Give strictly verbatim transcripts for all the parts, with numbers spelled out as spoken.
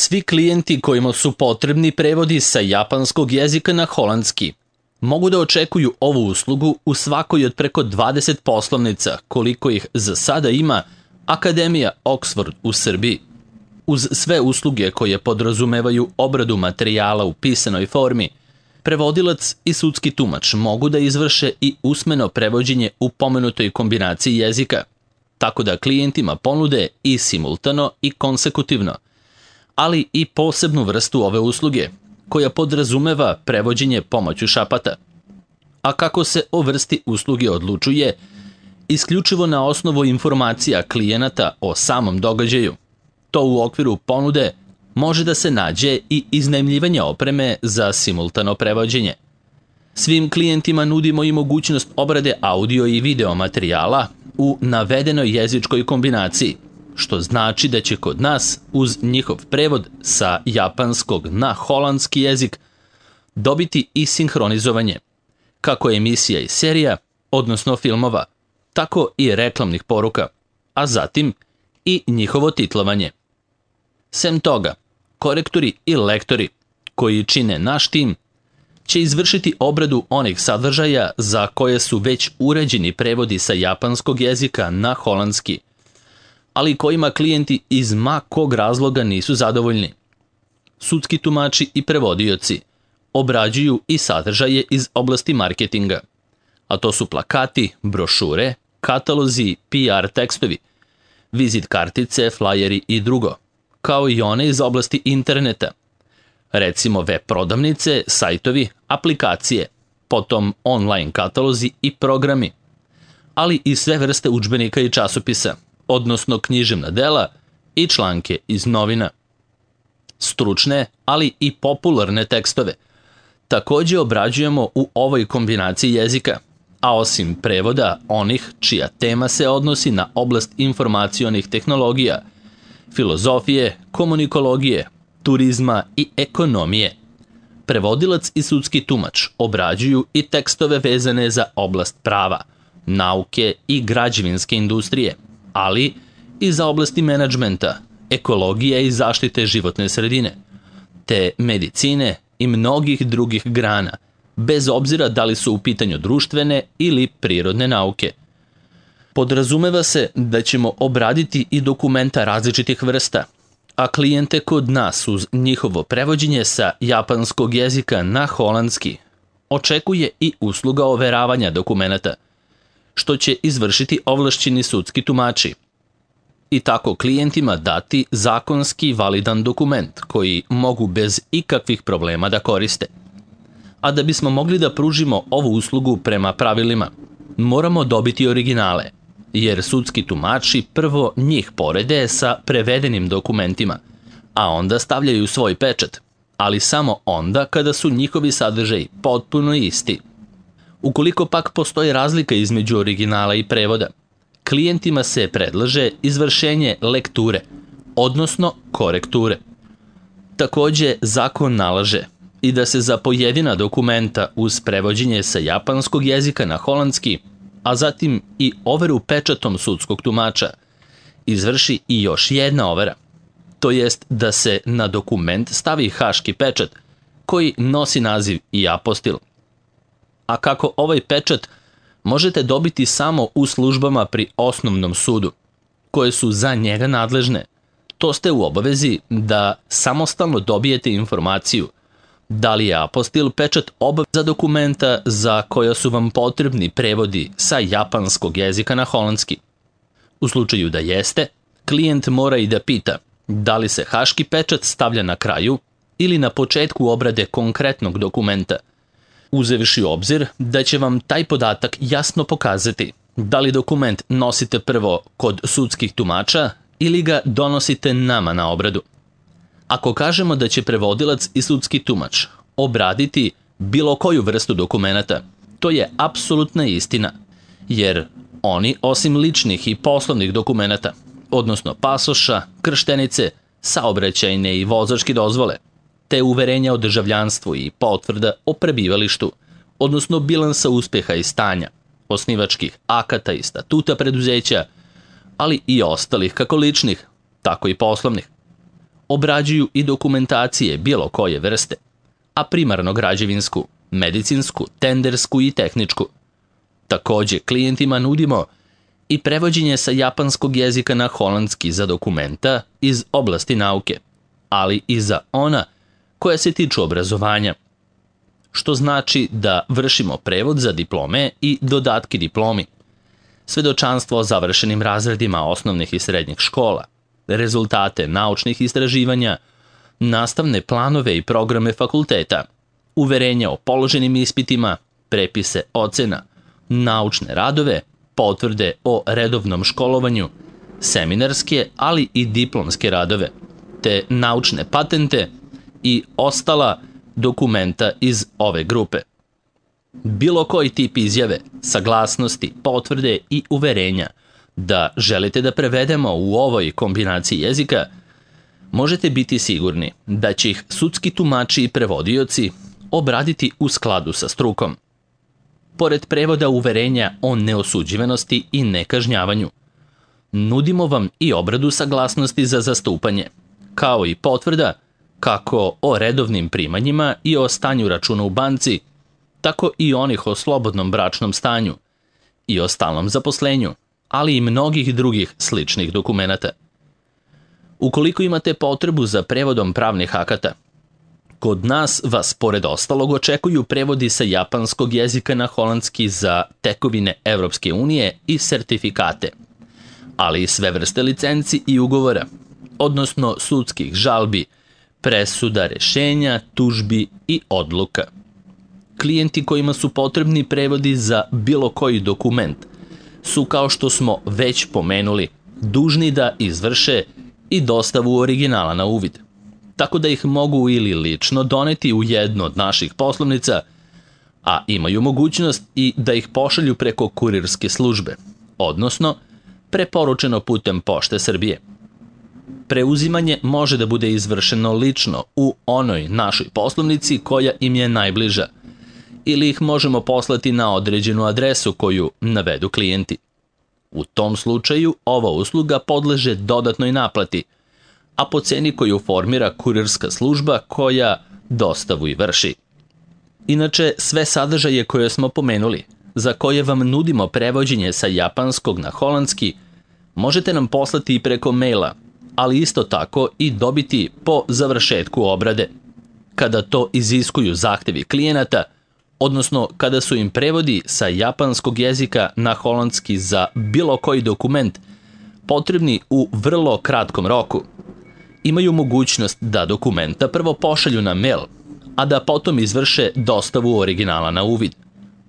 Svi klijenti kojima su potrebni prevodi sa japanskog jezika na holandski mogu da očekuju ovu uslugu u svakoj od preko dvadeset poslovnica koliko ih za sada ima Akademija Oxford u Srbiji. Uz sve usluge koje podrazumevaju obradu materijala u pisanoj formi, prevodilac i sudski tumač mogu da izvrše i usmeno prevođenje u pomenutoj kombinaciji jezika, tako da klijentima ponude i simultano i konsekutivno, ali i posebnu vrstu ove usluge, koja podrazumeva prevođenje pomoću šapata. A kako se o vrsti usluge odlučuje? Isključivo na osnovu informacija klijenata o samom događaju. To u okviru ponude može da se nađe i iznajmljivanje opreme za simultano prevođenje. Svim klijentima nudimo i mogućnost obrade audio i video materijala u navedenoj jezičkoj kombinaciji, što znači da će kod nas uz njihov prevod sa japanskog na holandski jezik dobiti i sinhronizovanje, kako emisija i serija, odnosno filmova, tako i reklamnih poruka, a zatim i njihovo titlovanje. Sem toga, korektori i lektori koji čine naš tim će izvršiti obradu onih sadržaja za koje su već uređeni prevodi sa japanskog jezika na holandski, ali kojima klijenti iz ma kog razloga nisu zadovoljni. Sudski tumači i prevodioci obrađuju i sadržaje iz oblasti marketinga, a to su plakati, brošure, katalozi, P R tekstovi, vizit kartice, flajeri i drugo, kao i one iz oblasti interneta, recimo web prodavnice, sajtovi, aplikacije, potom online katalozi i programi, ali i sve vrste udžbenika i časopisa, odnosno književna dela i članke iz novina. Stručne, ali i popularne tekstove takođe obrađujemo u ovoj kombinaciji jezika, a osim prevoda onih čija tema se odnosi na oblast informacionih tehnologija, filozofije, komunikologije, turizma i ekonomije. Prevodilac i sudski tumač obrađuju i tekstove vezane za oblast prava, nauke i građevinske industrije, ali i za oblasti menadžmenta, ekologije i zaštite životne sredine, te medicine i mnogih drugih grana, bez obzira da li su u pitanju društvene ili prirodne nauke. Podrazumeva se da ćemo obraditi i dokumenta različitih vrsta, a klijente kod nas uz njihovo prevođenje sa japanskog jezika na holandski očekuje i usluga overavanja dokumenata, što će izvršiti ovlašćeni sudski tumači i tako klijentima dati zakonski validan dokument koji mogu bez ikakvih problema da koriste. A da bismo mogli da pružimo ovu uslugu prema pravilima, moramo dobiti originale, jer sudski tumači prvo njih porede sa prevedenim dokumentima, a onda stavljaju svoj pečat, ali samo onda kada su njihovi sadržaji potpuno isti. Ukoliko pak postoji razlika između originala i prevoda, klijentima se predlaže izvršenje lekture, odnosno korekture. Takođe, zakon nalaže i da se za pojedina dokumenta uz prevođenje sa japanskog jezika na holandski, a zatim i overu pečatom sudskog tumača, izvrši i još jedna overa, to jest da se na dokument stavi haški pečat koji nosi naziv i apostil. A kako ovaj pečat možete dobiti samo u službama pri osnovnom sudu, koje su za njega nadležne, to ste u obavezi da samostalno dobijete informaciju da li je apostil pečat obav za dokumenta za koja su vam potrebni prevodi sa japanskog jezika na holandski. U slučaju da jeste, klijent mora i da pita da li se haški pečat stavlja na kraju ili na početku obrade konkretnog dokumenta, uzevši u obzir da će vam taj podatak jasno pokazati da li dokument nosite prvo kod sudskih tumača ili ga donosite nama na obradu. Ako kažemo da će prevodilac i sudski tumač obraditi bilo koju vrstu dokumenata, to je apsolutna istina, jer oni osim ličnih i poslovnih dokumenata, odnosno pasoša, krštenice, saobraćajne i vozačke dozvole, te uverenja o državljanstvu i potvrda o prebivalištu, odnosno bilansa uspeha i stanja, osnivačkih akata i statuta preduzeća, ali i ostalih kako ličnih, tako i poslovnih. obrađuju i dokumentacije bilo koje vrste, a primarno građevinsku, medicinsku, tendersku i tehničku. Takođe, klijentima nudimo i prevođenje sa japanskog jezika na holandski za dokumenta iz oblasti nauke, ali i za ona koja se tiču obrazovanja, što znači da vršimo prevod za diplome i dodatke diplomi, svedočanstvo o završenim razredima osnovnih i srednjih škola, rezultate naučnih istraživanja, nastavne planove i programe fakulteta, uverenja o položenim ispitima, prepise ocena, naučne radove, potvrde o redovnom školovanju, seminarske, ali i diplomske radove, te naučne patente i ostala dokumenta iz ove grupe. Bilo koji tip izjave, saglasnosti, potvrde i uverenja da želite da prevedemo u ovoj kombinaciji jezika, možete biti sigurni da će ih sudski tumači i prevodioci obraditi u skladu sa strukom. Pored prevoda uverenja o neosuđivanosti i nekažnjavanju, nudimo vam i obradu saglasnosti za zastupanje, kao i potvrda kako o redovnim primanjima i o stanju računa u banci, tako i onih o slobodnom bračnom stanju i o stalnom zaposlenju, ali i mnogih drugih sličnih dokumenata. Ukoliko imate potrebu za prevodom pravnih akata, kod nas vas pored ostalog očekuju prevodi sa japanskog jezika na holandski za tekovine Evropske unije i sertifikate, ali i sve vrste licenci i ugovora, odnosno sudskih žalbi, presuda, rešenja, tužbi i odluka. Klijenti kojima su potrebni prevodi za bilo koji dokument su, kao što smo već pomenuli, dužni da izvrše i dostavu originala na uvid, tako da ih mogu ili lično doneti u jednu od naših poslovnica, a imaju mogućnost i da ih pošalju preko kurirske službe, odnosno preporučeno putem Pošte Srbije. Preuzimanje može da bude izvršeno lično u onoj našoj poslovnici koja im je najbliža, ili ih možemo poslati na određenu adresu koju navedu klijenti. U tom slučaju ova usluga podleže dodatnoj naplati, a po ceni koju formira kurirska služba koja dostavu i vrši. Inače, sve sadržaje koje smo pomenuli, za koje vam nudimo prevođenje sa japanskog na holandski, možete nam poslati i preko maila, ali isto tako i dobiti po završetku obrade, kada to iziskuju zahtevi klijenata, odnosno kada su im prevodi sa japanskog jezika na holandski za bilo koji dokument potrebni u vrlo kratkom roku. Imaju mogućnost da dokumenta prvo pošalju na mail, a da potom izvrše dostavu originala na uvid,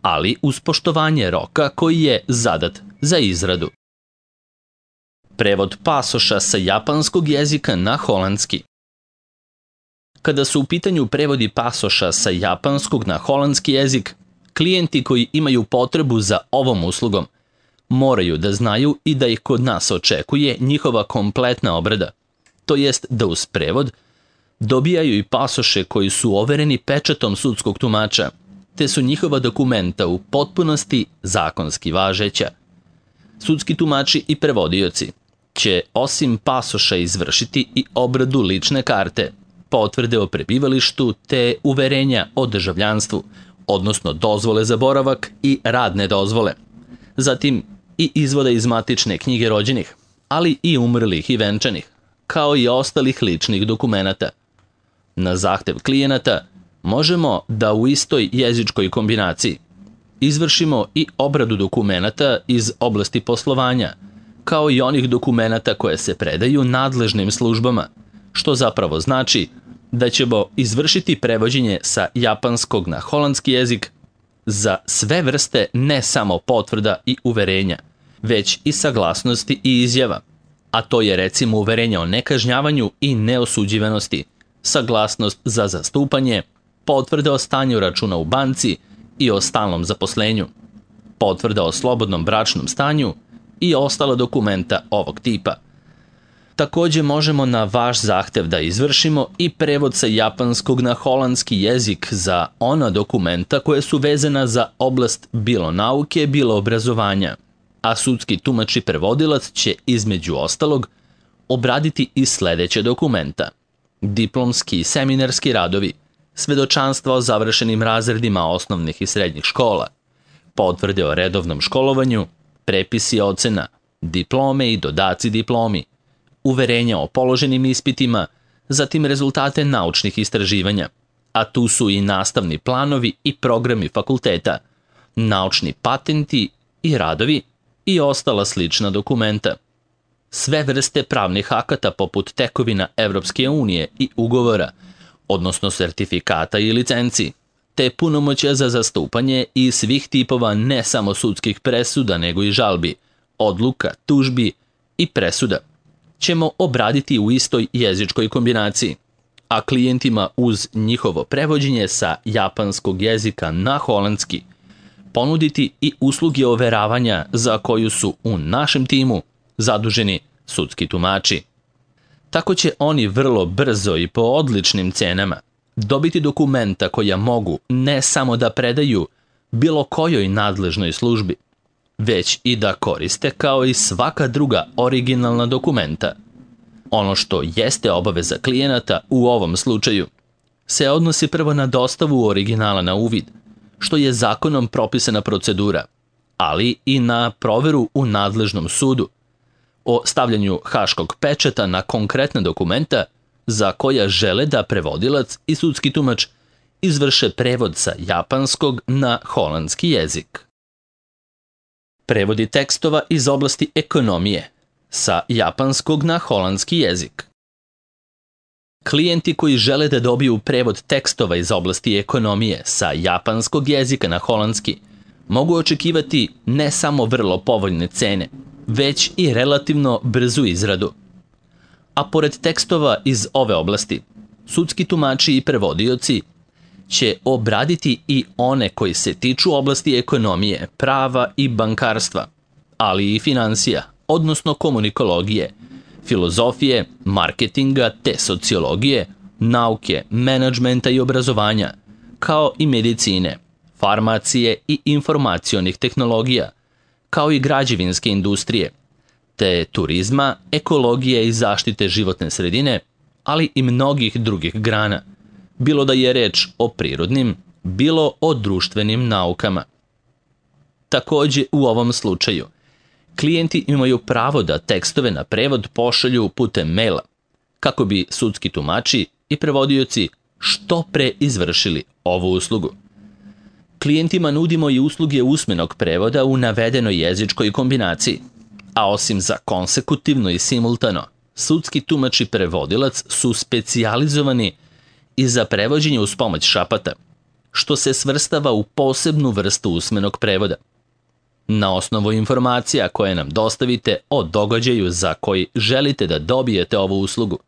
ali uz poštovanje roka koji je zadat za izradu. Prevod pasoša sa japanskog jezika na holandski. Kada su u pitanju prevodi pasoša sa japanskog na holandski jezik, klijenti koji imaju potrebu za ovom uslugom moraju da znaju i da ih kod nas očekuje njihova kompletna obrada, to jest da uz prevod dobijaju i pasoše koji su overeni pečatom sudskog tumača, te su njihova dokumenta u potpunosti zakonski važeća. Sudski tumači i prevodioci će osim pasoša izvršiti i obradu lične karte, potvrde o prebivalištu te uverenja o državljanstvu, odnosno dozvole za boravak i radne dozvole. Zatim i izvoda iz matične knjige rođenih, ali i umrlih i venčanih, kao i ostalih ličnih dokumenata. Na zahtev klijenata možemo da u istoj jezičkoj kombinaciji izvršimo i obradu dokumenata iz oblasti poslovanja, kao i onih dokumenata koje se predaju nadležnim službama, što zapravo znači da ćemo izvršiti prevođenje sa japanskog na holandski jezik za sve vrste ne samo potvrda i uverenja, već i saglasnosti i izjava, a to je recimo uverenje o nekažnjavanju i neosuđivanosti, saglasnost za zastupanje, potvrda o stanju računa u banci i o stalnom zaposlenju, potvrda o slobodnom bračnom stanju i ostala dokumenta ovog tipa. Takođe možemo na vaš zahtev da izvršimo i prevod sa japanskog na holandski jezik za ona dokumenta koje su vezana za oblast bilo nauke, bilo obrazovanja, a sudski tumač i prevodilac će između ostalog obraditi i sledeće dokumenta: diplomski i seminarski radovi, svedočanstva o završenim razredima osnovnih i srednjih škola, potvrde o redovnom školovanju, prepisi ocena, diplome i dodaci diplomi, uverenja o položenim ispitima, zatim rezultate naučnih istraživanja, a tu su i nastavni planovi i programi fakulteta, naučni patenti i radovi i ostala slična dokumenta. Sve vrste pravnih akata poput tekovina Evropske unije i ugovora, odnosno sertifikata i licenci, te punomoćja za zastupanje i svih tipova ne samo sudskih presuda nego i žalbi, odluka, tužbi i presuda ćemo obraditi u istoj jezičkoj kombinaciji, a klijentima uz njihovo prevođenje sa japanskog jezika na holandski ponuditi i usluge overavanja za koju su u našem timu zaduženi sudski tumači. Tako će oni vrlo brzo i po odličnim cenama dobiti dokumenta koja mogu ne samo da predaju bilo kojoj nadležnoj službi, već i da koriste kao i svaka druga originalna dokumenta. Ono što jeste obaveza klijenata u ovom slučaju se odnosi prvo na dostavu originala na uvid, što je zakonom propisana procedura, ali i na proveru u nadležnom sudu, o stavljanju haškog pečata na konkretna dokumenta za koja žele da prevodilac i sudski tumač izvrše prevod sa japanskog na holandski jezik. Prevodi tekstova iz oblasti ekonomije sa japanskog na holandski jezik. Klijenti koji žele da dobiju prevod tekstova iz oblasti ekonomije sa japanskog jezika na holandski mogu očekivati ne samo vrlo povoljne cene, već i relativno brzu izradu. A pored tekstova iz ove oblasti, sudski tumači i prevodioci će obraditi i one koji se tiču oblasti ekonomije, prava i bankarstva, ali i finansija, odnosno komunikologije, filozofije, marketinga te sociologije, nauke, menadžmenta i obrazovanja, kao i medicine, farmacije i informacionih tehnologija, kao i građevinske industrije, te turizma, ekologije i zaštite životne sredine, ali i mnogih drugih grana, bilo da je reč o prirodnim, bilo o društvenim naukama. Takođe, u ovom slučaju, klijenti imaju pravo da tekstove na prevod pošalju putem maila, kako bi sudski tumači i prevodioci što pre izvršili ovu uslugu. Klijentima nudimo i usluge usmenog prevoda u navedenoj jezičkoj kombinaciji, a osim za konsekutivno i simultano, sudski tumač i prevodilac su specijalizovani i za prevođenje uz pomoć šapata, što se svrstava u posebnu vrstu usmenog prevoda. Na osnovu informacija koje nam dostavite o događaju za koji želite da dobijete ovu uslugu,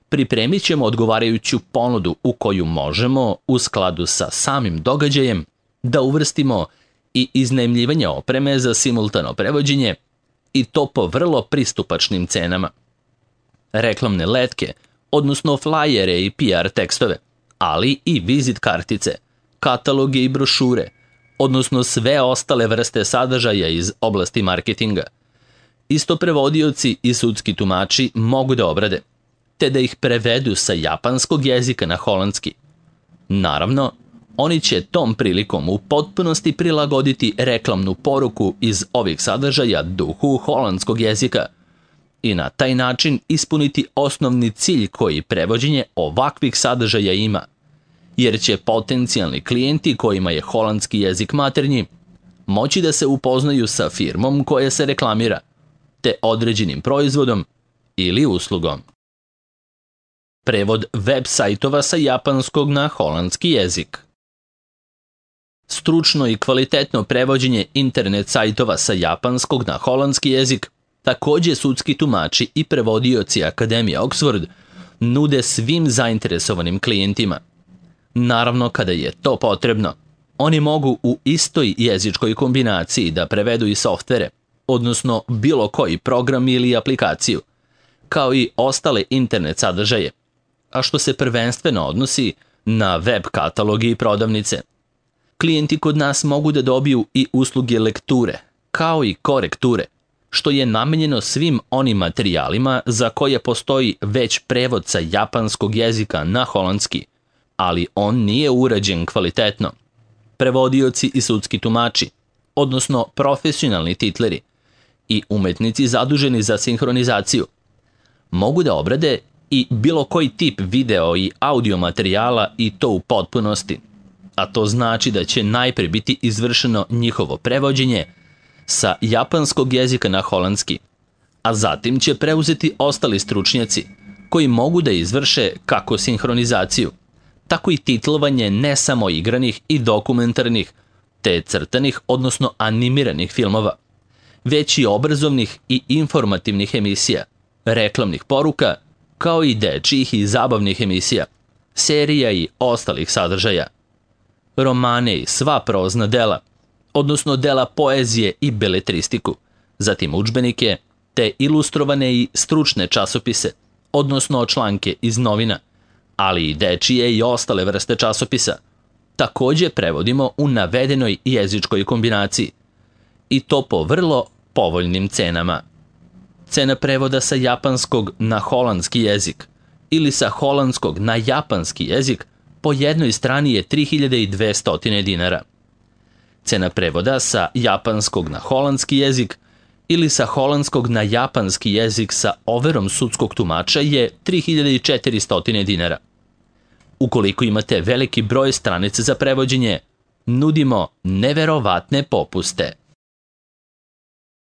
pripremit ćemo odgovarajuću ponudu u koju možemo, u skladu sa samim događajem, da uvrstimo i iznajmljivanje opreme za simultano prevođenje i to po vrlo pristupačnim cenama. Reklamne letke, odnosno flajere i P R tekstove, ali i vizit kartice, kataloge i brošure, odnosno sve ostale vrste sadržaja iz oblasti marketinga. Isto prevodioci i sudski tumači mogu da obrade, te da ih prevedu sa japanskog jezika na holandski. Naravno, oni će tom prilikom u potpunosti prilagoditi reklamnu poruku iz ovih sadržaja duhu holandskog jezika i na taj način ispuniti osnovni cilj koji prevođenje ovakvih sadržaja ima, jer će potencijalni klijenti kojima je holandski jezik maternji moći da se upoznaju sa firmom koja se reklamira, te određenim proizvodom ili uslugom. Prevod web sajtova sa japanskog na holandski jezik. Stručno i kvalitetno prevođenje internet sajtova sa japanskog na holandski jezik takođe sudski tumači i prevodioci Akademije Oxford nude svim zainteresovanim klijentima. Naravno, kada je to potrebno, oni mogu u istoj jezičkoj kombinaciji da prevedu i softvere, odnosno bilo koji program ili aplikaciju, kao i ostale internet sadržaje, a što se prvenstveno odnosi na web kataloge i prodavnice. Klijenti kod nas mogu da dobiju i usluge lekture, kao i korekture, što je namenjeno svim onim materijalima za koje postoji već prevod sa japanskog jezika na holandski, ali on nije urađen kvalitetno. Prevodioci i sudski tumači, odnosno profesionalni titleri i umetnici zaduženi za sinhronizaciju, mogu da obrade i bilo koji tip video i audio materijala i to u potpunosti, a to znači da će najpre biti izvršeno njihovo prevođenje sa japanskog jezika na holandski, a zatim će preuzeti ostali stručnjaci koji mogu da izvrše kako sinhronizaciju, tako i titlovanje ne samo igranih i dokumentarnih, te crtanih, odnosno animiranih filmova, već i obrazovnih i informativnih emisija, reklamnih poruka, kao i dečijih i zabavnih emisija, serija i ostalih sadržaja, romane i sva prozna dela, odnosno dela poezije i beletristiku, zatim udžbenike, te ilustrovane i stručne časopise, odnosno članke iz novina, ali i dečije i ostale vrste časopisa, takođe prevodimo u navedenoj jezičkoj kombinaciji, i to po vrlo povoljnim cenama. Cena prevoda sa japanskog na holandski jezik ili sa holandskog na japanski jezik po jednoj strani je tri hiljade dvesta dinara. Cena prevoda sa japanskog na holandski jezik ili sa holandskog na japanski jezik sa overom sudskog tumača je tri hiljade četiristo dinara. Ukoliko imate veliki broj stranica za prevođenje, nudimo neverovatne popuste.